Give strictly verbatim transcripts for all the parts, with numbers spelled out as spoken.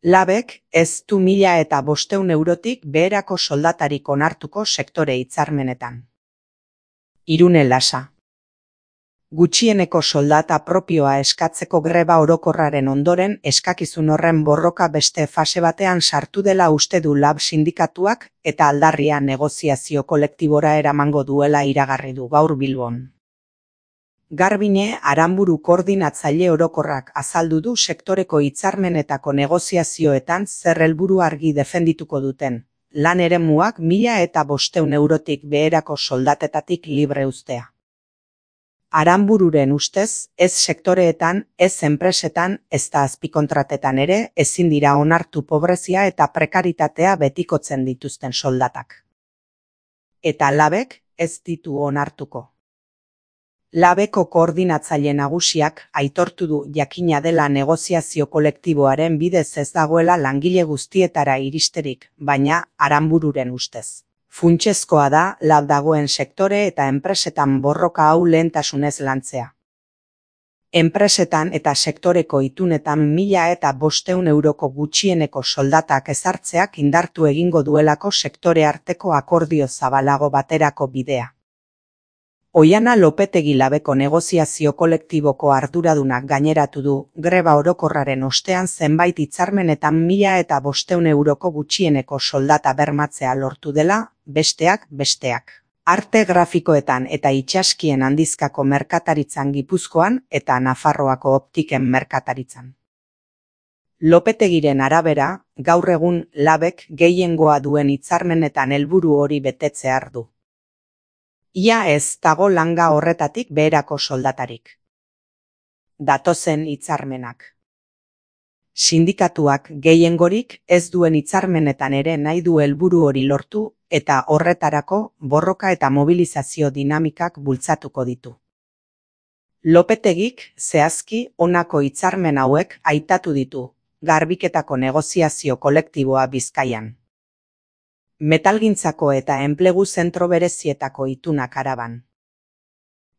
Labek ez du mila eta bosteun eurotik beherako soldatarik onartuko sektore hitzarmenetan. Irune Lasa. Gutxieneko soldata propioa eskatzeko greba orokorraren ondoren eskakizun horren borroka beste fase batean sartu dela uste du Lab sindikatuak eta aldarria negoziazio kolektibora eramango duela iragarri du gaur Bilbon. Garbine Aranburu koordinatzaile orokorrak azaldu du sektoreko hitzarmenetako negoziazioetan zer helburu argi defendituko duten, lan eremuak mila eta bosteun eurotik beherako soldatetatik libre uztea. Aranbururen ustez, ez sektoreetan, ez enpresetan, ezta azpikontratetan ere, ezin dira onartu pobrezia eta prekaritatea betikotzen dituzten soldatak. Eta Labek ez ditu onartuko. Labeko koordinatzaile nagusiak aitortu du jakina dela negoziazio kolektiboaren bidez ez dagoela langile guztietara iristerik, baina Aranbururen ustez. Funtsezkoa da Lab dagoen sektore eta enpresetan borroka hau lehentasunez lantzea. Enpresetan eta sektoreko itunetan mila eta bosteun euroko gutxieneko soldatak ezartzeak indartu egingo duelako sektore arteko akordio zabalago baterako bidea. Oiana Lopetegi Labeko negoziazio kolektiboko arduradunak gaineratu du, greba orokorraren ostean zenbait hitzarmenetan mila eta bosteun euroko gutxieneko soldata bermatzea lortu dela, besteak besteak. Arte grafikoetan eta itsaskien handizkako merkataritzan Gipuzkoan eta Nafarroako optiken merkataritzan. Lopetegiren arabera, gaur egun Labek gehiengoa duen hitzarmenetan helburu hori betetzear du. Ia ez dago langa horretatik beherako soldatarik. Datozen hitzarmenak. Sindikatuak gehiengorik ez duen hitzarmenetan ere nahi du helburu hori lortu eta horretarako borroka eta mobilizazio dinamikak bultzatuko ditu. Lopetegik zehazki honako hitzarmen hauek aitatu ditu, garbiketako negoziazio kolektiboa Bizkaian. Metalgintzako eta enplegu zentro berezietako itunak Araban.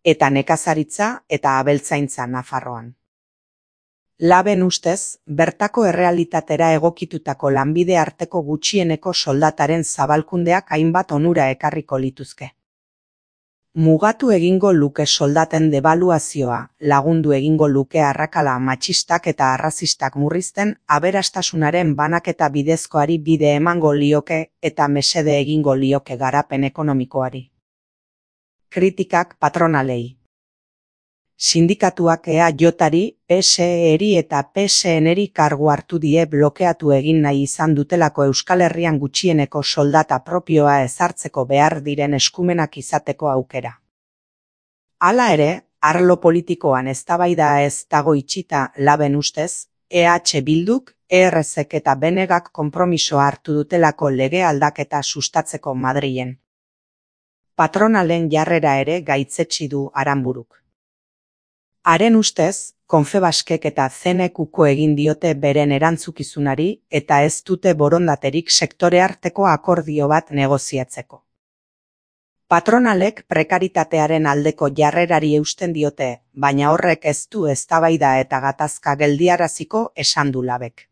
Eta nekazaritza eta abeltzaintza Nafarroan. Laben ustez, bertako errealitatera egokitutako lanbide arteko gutxieneko soldataren zabalkundeak hainbat onura ekarriko lituzke. Mugatu egingo luke soldaten debaluazioa, lagundu egingo luke arrakala matxistak eta arrazistak murrizten, aberastasunaren banaketa bidezkoari bide emango lioke eta mesede egingo lioke garapen ekonomikoari. Kritikak patronalei. Sindikatuak E A Jari, P S E-eri eta P S N-eri kargu hartu die blokeatu egin nahi izan dutelako Euskal Herrian gutxieneko soldata propioa ezartzeko behar diren eskumenak izateko aukera. Hala ere, arlo politikoan eztabaida ez dago itxita Laben ustez, E H Bilduk, E R Z-ek eta B N G-ak konpromisoa hartu dutelako lege aldaketa sustatzeko Madrilen. Patronalen jarrera ere gaitzetsi du Aranburuk. Haren ustez, Confebaskek eta C N Q-ko egin diote beren erantzukizunari eta ez dute borondaterik sektore arteko akordio bat negoziatzeko. Patronalek prekaritatearen aldeko jarrerari eusten diote, baina horrek ez du eztabaida eta gatazka geldiaraziko esan du Labek.